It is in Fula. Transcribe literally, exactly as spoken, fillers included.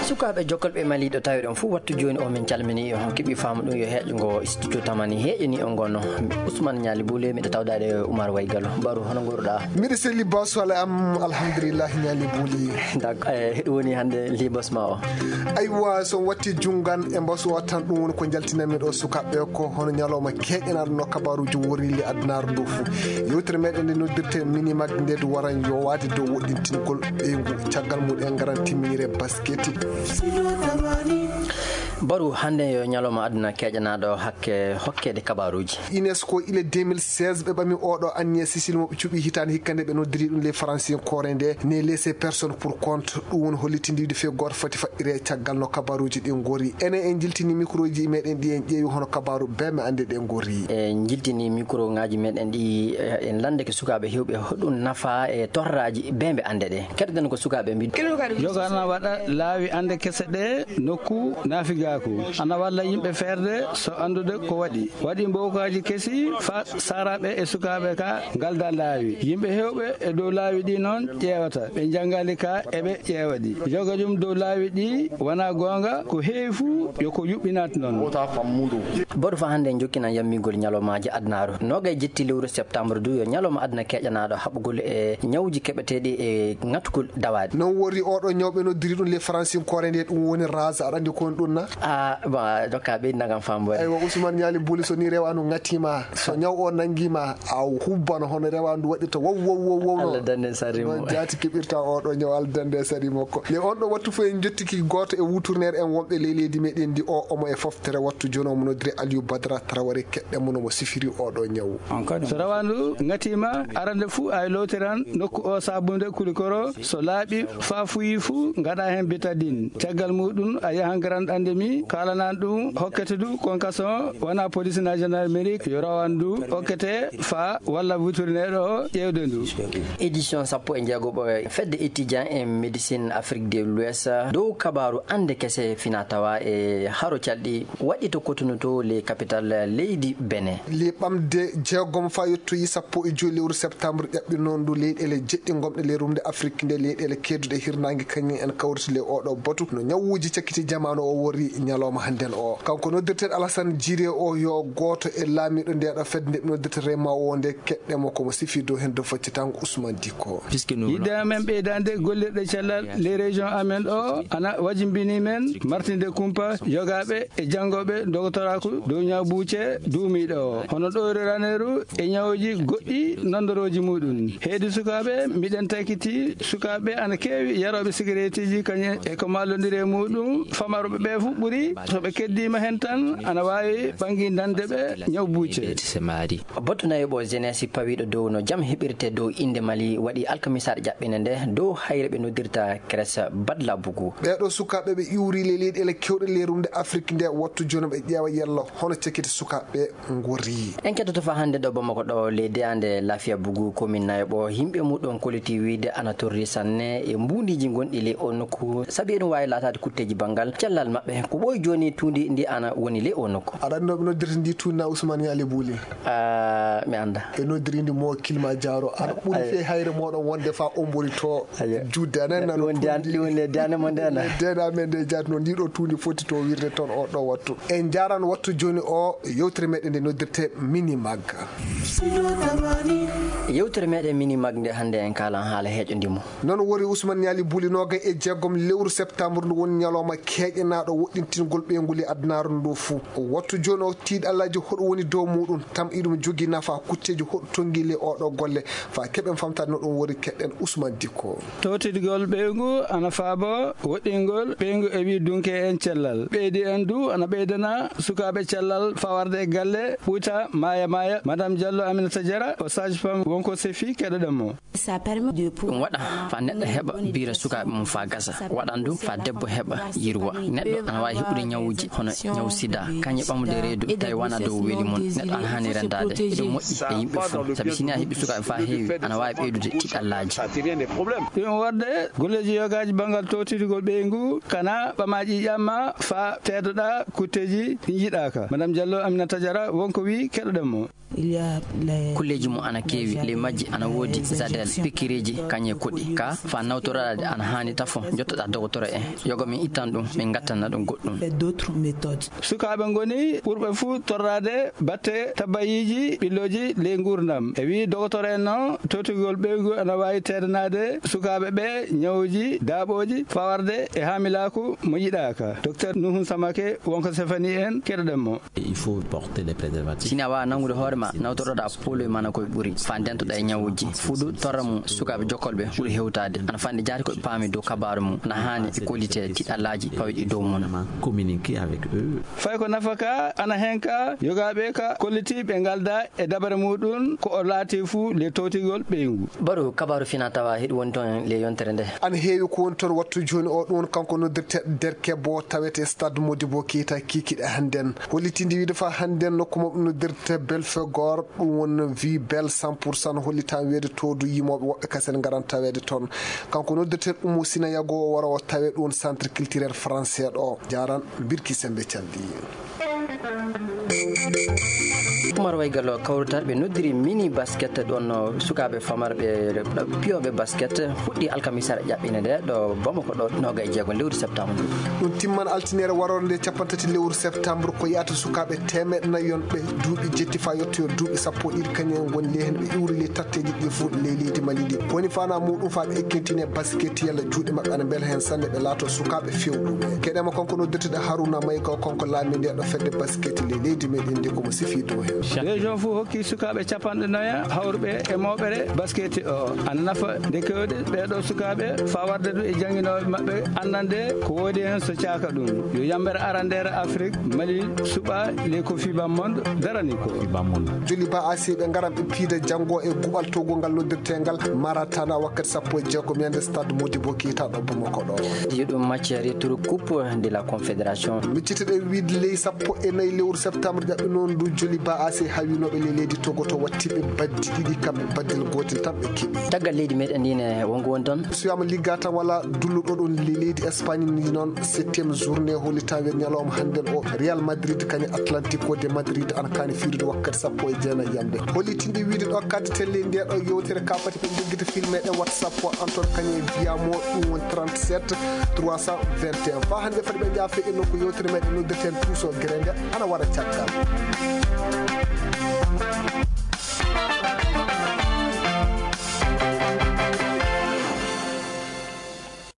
Sukaaɓe jokkolɓe Mali ɗo tawi ɗon fof, wattu jooni o min calmini on, keɓi faamu ɗum yo heeƴo ngo studio Tamani heeƴani on ngono. Ousmane Ñaali Buule, miɗo tawdaade Oumar Waygalo. Baru, hono nguurɗaa? Miɗo selli bas wala am, alhamdulillah, Ñaali Buule. Dak-, eh, heɗo woni hannde libas ma o? Aywa, so watti junngan e mbasu o tan, ɗum woni ko njaltinanmi ɗo sukaaɓe ko hono ñalawma keeƴanaaɗo no kabaaruuji worri le adunaaru ndu fof. Yewtere meɗen nde noddirte Mini Mag nde du waran yowaade dow woɗɗintingol ɓeyngu. Caggal mum en ngaran timminire basket. Baru, hannde yo ñalawma aduna keeƴanaaɗo hakke hokkeede kabaaruuji. UNESCO ile deux mille seize ɓe ɓami oɗo anniya Sicile mo ɓe cuɓi hitaande hikka nde ɓe noddiri ɗum les Français koore nde ne laisser personne pour compte. Ɗum woni hollitindiide fii gooto foti faɗɗire caggal no kabaaruuji ɗin ngori. Enen en jiltini microji meɗen ɗi en ƴeewi hono kabaaru bembe annde ɗe ngori. En jiltini micro ngaji meɗen ɗi, eh, en landeke sukaaɓe hewɓe hoɗum nafa e torraaji bembe annde ɗe. Keɗoɗen ko sukaaɓe mbi. Yoga ana waɗa laawi annde kese ɗe nokku naafigaaku. Ana walla yimɓe feerde so anndude ko waɗi. Waɗi mbokaji kesi fa saraɓe e sukaaɓe ka ngalda laawi. Yimɓe hewɓe e dow laawi ɗi noon ƴeewata. Ɓe njanngali ka eɓe ƴeewa ɗi. Yoga ɗum dow laawi ɗi wona goonga, ko heewi fuu yo ko yuɓɓinat noon. Boɗo fa hannde en jokkinan yammingol ñalawmaaji adunaaru. Noogay jetti lewru septembre du yo ñalawma aduna keeƴanaaɗo haɓugol e ñawuji keɓeteeɗi e ŋatugol dawaaɗi. Noon wori oɗo ñaw ɓe noddiri ɗum les Français koore nde ɗum woni rase, aɗa anndi ko woni ɗum na? A, ba, dokka ɓeydi nagam faam boy. Aywa, Ousmane Ñaali Buli, so ni rewaandu ŋatima, so ñaw o nangima, a hubbano hono rewaandu waɗirta wow, wow, wow, wow, no. Allah dande sari mo. Noon jaati keɓirta oɗo ñaw, Allah dande sari makko. Le on ɗo wattu fof en jottiki gooto e wuturneer en wonɓe ley leydi meɗen ndi o, omo e foftere wattu jooni omo noddiri Aliou Badara Traoré, keɗɗen mo no mo sifiri oɗo ñaw. So rawaandu ŋatima, arande fuu ay lootiran nokku o sabunde kulikoro, so laaɓi faa fuyi fuu ngaɗa heen bétadine. Caggal muɗum a yahan Grand Andemi, kaalanan ɗum hokkete du convocation wona police na gendarmerie yo rawan du hokkete fa walla wuturneɗo o ƴeewde ndu. Édition sappo e jeegoɓo fedde étudiant en médecine Afrique de l'Ouest dow kabaru ande kese fina tawa e haro calɗi waɗi to Cotonou to le capital leydi Benin. Le ɓamde jeegom fa yettoyi sappo e joyi lewru septembre ƴaɓɓi noon ndu leyɗele jeɗɗi gomɗe le rumde Afrique nde leyɗele kedduɗe hirnaange kañum en kawriti le oɗo batu no ñawuuji cakkiti jamaanu o wori ñalawma hannden o. Kanko noddirteeɗo Alassane Djiré o yo gooto e laamiiɗo nde ɗo fedde nde ɓe noddirta Rema o nde keɗɗe mo komo sifi dow heen dow faccitango Ousmane Dicko. Yidde amen ɓeydaande gollirɗe cellal les régions amen ɗo ana wajimbini men martinde kumpa yogaaɓe e janngooɓe dogotoraaku dow ñaw buuce duumiiɗo o. Hono ɗoyro raneeru e ñawuuji goɗɗi nandorooji muɗum. Heedi sukaaɓe, miɗen taykiti sukaaɓe ana keewi yarooɓe sigareetiji kañum e ko mallondiri e muɗum. Famarɓe ɓe fof ɓuri, so ɓe keddiima heen tan, ana waawi ɓanngindande ɓe ñaw buuce. Batu nayoɓo jeunesse pawiiɗo dow no jam heɓirte dow innde Mali waɗi alkamisaaɗo ƴaɓɓinde nde dow hayre ɓe noddirta Crèche Badla Bougou. Ɓeeɗo sukaaɓe ɓe iwri le leyɗele kewɗe le rumde Afrique nde wattu jooni ɓe ƴeewa yello hono cekiti sukaaɓe ngori. En kettoto fa hannde ɗo Bamako ɗo le deyande Lafia Bougou commune nayoɓo yimɓe muɗum kolliti wiide ana torri sanne e mbuundiji gonɗi le o nokku sabi eɗum waawi laataade kutteji banngal cellal maɓɓe ko ɓooyi jooni tuundi ndi ana woni le o nokku. Aɗa anndi no ɓe noddirta ndi tuundi na Ousmane Yaali Buuli? Ah, mi annda. Ɓe noddirindi mo Kilma Jaaro. Aɗa ɓuri fee hayre moɗon wonde fa ombori to juutde. Anan nano ɗum woni dan-, ɗum woni le dande mo nde ana. Le dande amen nde jaati noon. Ndi ɗo tuundi foti to wirde toon o ɗo wattu. En njaran wattu jooni o yewtere meɗen nde noddirte Mini Mag. Yewtere meɗen Mini Mag nde hannde en kaalan haala heeƴo ndimo. Noon wori Ousmane Ñaali Buli noogay e jeegom lewru septembre ndu woni ñalawma keeƴanaaɗo woɗɗintingol ɓeyngu le adunaaru ndu fuu. Wattu jooni o tiiɗallaaji hoɗo woni dow muɗum, tam iɗum jogii nafa kutteeji hoɗo tonngi le oɗo golle. Fa keɓen famtaade no ɗum wori keɗɗen Ousmane Dicko. Towtidigol ɓeyngu ana faabo woɗɗingol ɓeyngu e wi dunke en cellal. Ɓeydi en du ana ɓeydana sukaaɓe cellal fawarde e galle ɓuyta maaya maaya. Madame Diallo Aminata Diarra o sage-femme wonko sefi keɗoɗen mo. Ɗum waɗa fa neɗɗo heɓa biira sukaaɓe mum fa gasa. Waɗan ɗum fa debbo heɓa yirwa. Neɗɗo ana waawi heɓude ñawuuji hono ñaw sida, kañe ɓamude reedu, tawi wona dow weli mum. Neɗɗo ana haani renndaade. Eɗum moƴƴi e yimɓe fof, sabi si ni a heɓi sukaaɓe fa heewi, ana waawi ɓeydude tiɗallaaji. Ɗum waɗde golleeji yogaaji banngal towtidigol ɓeyngu, kana ɓama ƴiiƴam ma fa teedoɗa kutteeji ɗi njiɗaaka. Madame Diallo Aminata Diarra wonko wi keɗoɗen mo. Kulleeji mum ana keewi, ley majji ana woodi zadel, pikireeji, kañe koɗi. Ka faa nawtoraade ana haani tafo, njottoɗaa dogotoro en. Yoga min ittan ɗum, min ngattanna ɗum goɗɗum. Sukaaɓe ngoni ɓurɓe fuu torraade batte tabayiiji ɓillooji ley nguurndam. E wii dogotoro en noon, towtigol ɓeyngu ana waawi teedanaade sukaaɓe ɓe ñawuuji, daaɓooji, fawarde e haamilaaku mo yiɗaaka. Docteur Nuhun Samake wonko sefanii en, keɗoɗen mo. Il faut porter des préservatifs. Si a waawaa nanngude hoore ma, nawtoroɗaa pooloy ma no ko ɓuri, faa ndentoɗaa e ñawuuji. Fuɗu torra mum sukaaɓe jokkolɓe ɓuri hewtaade. Ana fayde jaati ko ɓe paami dow kabaaru mum. Ana haani ɓe kollitee tiɗallaaji pawɗi dow mum. Communiquer avec eux. Fay ko nafa ka, ana heen ka, yogaaɓe ka kollitii ɓe ngaldaa e dabare muɗum, ko o laati fuu le towtigol ɓeyngu. Baru kabaaru fina tawa heɗi woni toon le yontere nde. Ana heewi ko woni toon wattu jooni o, ɗum woni kanko noddirte Derkebo tawete Stade Modibo Keita kikiɗe hannden. Hollitinde wiide faa hannden nokku maɓɓe noddirte Belfegor, ɗum woni Vie Belle cent pour cent, hollitaa wiide toodu yimooɓe woɓɓe kasen ngaran taweede toon. Kanko noddirte Umu Sina Yago wara o tawe ɗum centre culturel français ɗo. Jaaran Birki Sembe Caldi. Umar Waygal o kawrutar ɓe noddiri mini basket ɗon no sukaaɓe famarɓe piyooɓe basket fuɗɗi alkamisara ƴaɓɓine nde ɗo Bamako ɗo nooga e jeego lewru septembre. Ɗum timman altiniere waroore nde capanɗe tati lewru septembre ko yahata sukaaɓe teemeɗɗe nayi yonɓe duuɓi jetti faa yettoyo duuɓi sappo e ɗiɗi kañum en ngoni ley heen ɓe iwri ley tatteeji ɗi fof ley leydi Mali ndi. Woni faanaa muɗum faa ɓe ekkintine basket yalla juuɗe maɓɓe ana mbela heen sanne ɓe laato sukaaɓe fewɗuɓe. Keɗema kanko noddirteɗo Haruna Mayga o kanko laami nde ɗo fedde basket ley leydi meɗen ndi komo sifi dow heen. Région fof hokki sukaaɓe capanɗe nayi hawruɓe e mawɓere basket o. Ana nafa nde kewɗe ɓeeɗo sukaaɓe faa warde ɗum e jannginooɓe maɓɓe annande ko woodi heen so caaka ɗum. Yo yambere arandeere Afrik, Mali suɓa le Kofi Bammonde darani ko. Joli ba A C ɓe ngaran ɓe piida janngo e guɓal towgo ngal noddirteengal Maratana wakkati sappo e jeegom yande stade Modibo Keita ɗo Bamako ɗo. Yo ɗum match retour coupe de la confédération. Micciteɗen wiide ley sappo e nayi lewru septembre ƴaɓɓi noon ndu Joli ba A C hawinooɓe ley leydi Togo to wattiɓe baddi ɗiɗi kamɓe baddel gootel tan ɓe keɓi. Caggal leydi meɗen ndi ne wongo woni toon. Suyama ligga tan wala dulluɗo ɗon le leydi Espagne ni noon septième journée hollitaa wen ñalawma hannden o Real Madrid kañum Atlantico de Madrid ana kaani fiirude wakkati sappo e jeenayi yamde. Hollitinde wiide ɗo kaddi telle nde ɗo yewtere ka fati ɓe joggita filme ɗe WhatsApp o Antoine Kane Viamo ɗum woni trente-sept trois cent vingt et un. Faa hannde fati ɓe njaafe en noon ko yewtere meɗen noddirten Tuuso Gere nde ana wara caggal.